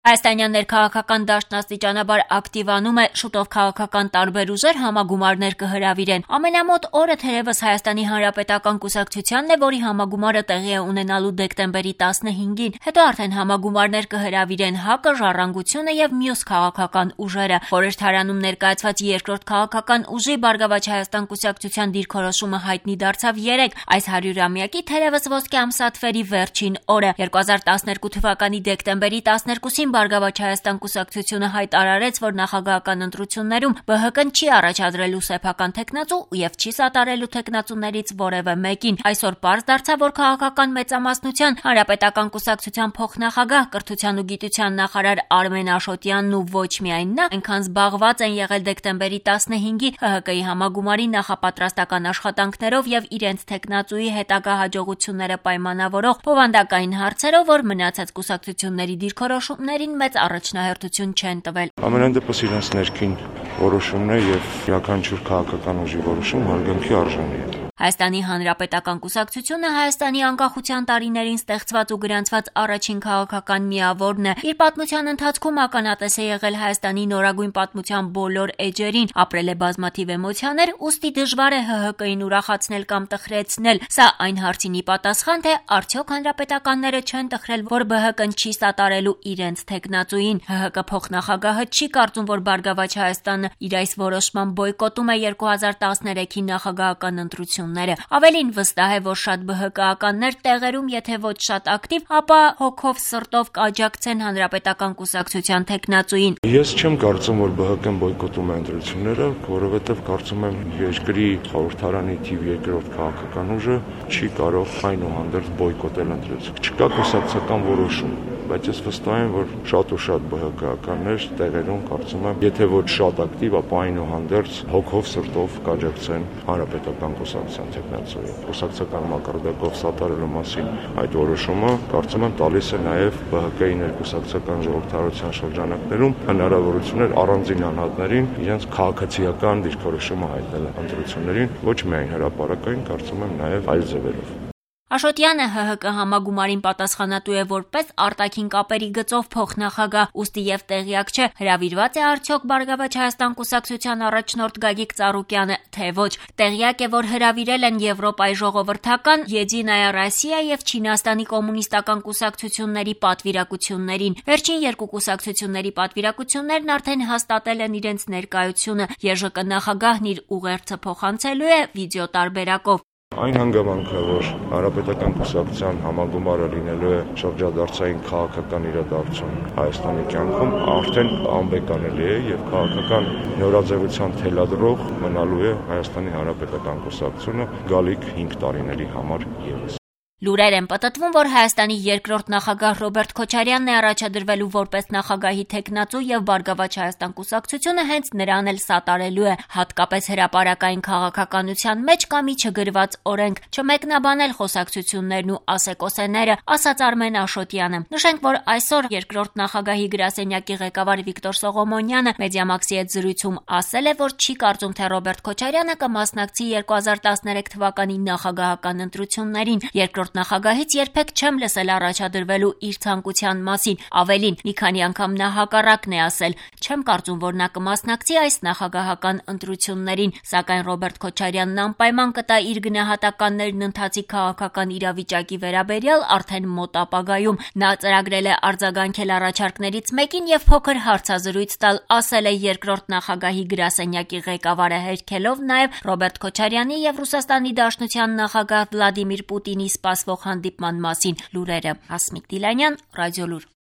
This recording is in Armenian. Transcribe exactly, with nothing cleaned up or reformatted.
Հայաստանյան ներքաղաքական դաշտն աստիճանաբար ակտիվանում է, շուտով քաղաքական տարբեր ուժեր համագումարներ կհրավիրեն։ Ամենամոտ օրը թերևս Հայաստանի Հանրապետական կուսակցությանն է, որի համագումարը տեղի է ունենալու դեկտեմբերի տասնհինգին, հետո արդեն համագումարներ կհրավիրեն ՀԱԿ-ը, Ժառանգությունը եւ մյուս քաղաքական ուժերը։ Խորհրդարանում ներկայացված երկրորդ քաղաքական ուժի Բարգավաճ Հայաստան կուսակցության դիրքորոշումը հայտնի դարձավ երեկ, այս հարյուրամյակի թերևս ոսկե ամսաթվերի վերջին օրը։ երկու հազար տասներկու թվականի դեկտեմբերի տասներկուսին Բարգավաճ Հայաստան կուսակցությունը հայտարարեց, որ նախագահական ընտրություններում ԲՀԿ-ն չի առաջադրելու սեփական թեկնածու եւ չի սատարելու թեկնածուներից որևէ մեկին։ Այսօր պարզ դարձավ, որ քաղաքական մեծամասնության Հանրապետական կուսակցության փոխնախագահ, կրթության ու գիտության նախարար Արմեն Աշոտյանն ու ոչ միայն նա այնքան զբաղված են եղել դեկտեմբերի տասնհինգի ՀՀԿ-ի համագումարի նախապատրաստական աշխատանքներով եւ իրենց թեկնածուի հետագա հաջողությունները պայմանավորող բովանդակային հարցերով, որ մնացած կուսակցությունների դիրքորոշումներ մեծ առաջնահերթություն չեն տվել։ Ամենայն դեպս իրենց ներքին որոշումն է եւ յուրաքանչյուր քաղաքական ուժի որոշում հարգանքի արժանի է։ Հայաստանի Հանրապետական կուսակցությունը Հայաստանի անկախության տարիներին ստեղծված ու գրանցված առաջին քաղաքական միավորն է։ Իր պատմության ընթացքում ականատես է եղել Հայաստանի նորագույն պատմության բոլոր էջերին, ապրել է բազմաթիվ էմոցիաներ, ուստի դժվար է ՀՀԿ-ին ուրախացնել կամ տխրեցնել։ Սա այն հարցին ի պատասխան, թե արդյոք հանրապետականները չեն տխրել, որ ԲՀԿ-ն չի սատարելու իրենց թեկնածուին։ ՀՀԿ փոխնախագահը չի կարծում, որ Բարգավաճ Հայաստանը իր այս որոշմամբ բոյկոտում է երկու հազար տասներեքի նախագահական ընտրությունները։ Ավելին վստահ է, որ շատ ԲՀԿ-ականներ տեղերում, եթե ոչ շատ ակտիվ, ապա հոգով սրտով կաջակցեն Հանրապետական կուսակցության թեկնածուին։ Ես չեմ կարծում, որ ԲՀԿ-ն բոյկոտում է ընտրությունները, որովհետև կարծում եմ երկրի խորհրդարանի թիվ երկրորդ քաղաքական ուժը չի կարող այնուհանդերձ բոյկոտել ընտրություն։ Չկա կուսակցական որոշում, բայց ես վստահ եմ, որ շատ ու շատ ԲՀԿ-ականներ տեղերում կարծում եմ, եթե ոչ շատ ակտիվ, ապա այնուհանդերձ հոգով սրտով կաջակցեն Հանրապետական կուսակցության թեկնածուին։ Կուսակցական մակարդակով սատարելու մասին այդ որոշումը կարծում եմ տալիս է նաև ԲՀԿ-ի ներկուսակցական ժողովրդարության շրջանակներում հնարավորություններ առանձին անհատներին իրենց քաղաքացիական դիրքորոշումը հայտնել ընտրություններին, ոչ միայն հրապարակային, կարծում եմ նաև այլ ձևերով։ Աշոտյանը ՀՀԿ համագումարին պատասխանատու է որպես արտաքին կապերի գծով փոխնախագահ, ուստի եւ տեղյակ չէ, հրավիրված է արդյոք Բարգավաճ Հայաստան կուսակցության առաջնորդ Գագիկ Ծառուկյանը, թե ոչ։ Տեղյակ է, որ հրավիրել են Եվրոպայի ժողովրդական, Եդինայա Ռոսիա եւ Չինաստանի կոմունիստական կուսակցությունների պատվիրակություններին։ Վերջին երկու կուսակցությունների պատվիրակություններն արդեն հաստատել են իրենց ներկայությունը։ ԵԺԿ նախագահն իր ուղերձը փոխանցելու է վիդեո տարբերակով։ Այն հանգամանքը, որ Հանրապետական կուսակցության համագումարը լինելու է շրջադարձային քաղաքական իրադարձություն Հայաստանի կյանքում, արդեն անբեկանելի է եւ քաղաքական նորաձևության թելադրող մնալու է Հայաստանի Հանրապետական կուսակցությունը գալիք հինգ տարիների համար եւս։ Լուրեր են պտտվում, որ Հայաստանի երկրորդ նախագահ Ռոբերտ Քոչարյանն է առաջադրվելու որպես նախագահի թեկնածու եւ Բարգավաճ Հայաստան կուսակցությունը հենց նրան էլ սատարելու է, հատկապես հրապարակային քաղաքականության մեջ կա մի չգրված օրենք, չմեկնաբանել խոսակցություններն ու ասեկոսեները, ասաց Արմեն Աշոտյանը։ Նշենք, որ այսօր երկրորդ նախագահի գրասենյակի ղեկավար Վիկտոր Սողոմոնյանը Մեդիամաքսի հետ զրույցում ասել է, որ չի կարծում, թե Ռոբերտ Քոչարյանը կմասնակցի երկու հազար տասներեք թվականի նախագահական ընտրություններին։ Երկրորդ նախագահից երբեք չեմ լսել առաջադրվելու իր ցանկության մասին։ Ավելին, մի քանի անգամ նա հակառակն է ասել։ Չեմ կարծում, որ նա կմասնակցի այս նախագահական ընտրություններին, սակայն Ռոբերտ Քոչարյանն անպայման կտա իր գնահատականներն ընթացիկ քաղաքական իրավիճակի վերաբերյալ արդեն մոտ ապագայում։ Նա ծրագրել է արձագանքել առաջարկներից մեկին եւ փոքր հարցազրույց տալ, ասել է երկրորդ նախագահի գրասենյակի ղեկավարը, հերքելով նաեւ Ռոբերտ Քոչարյանի եւ Ռուսաստանի Դաշնության նախագահ Վլադիմիր Պուտինի սպասվող հանդիպման մասին լուրերը։ Հասմիկ Դիլանյան, Ռադիոլուր։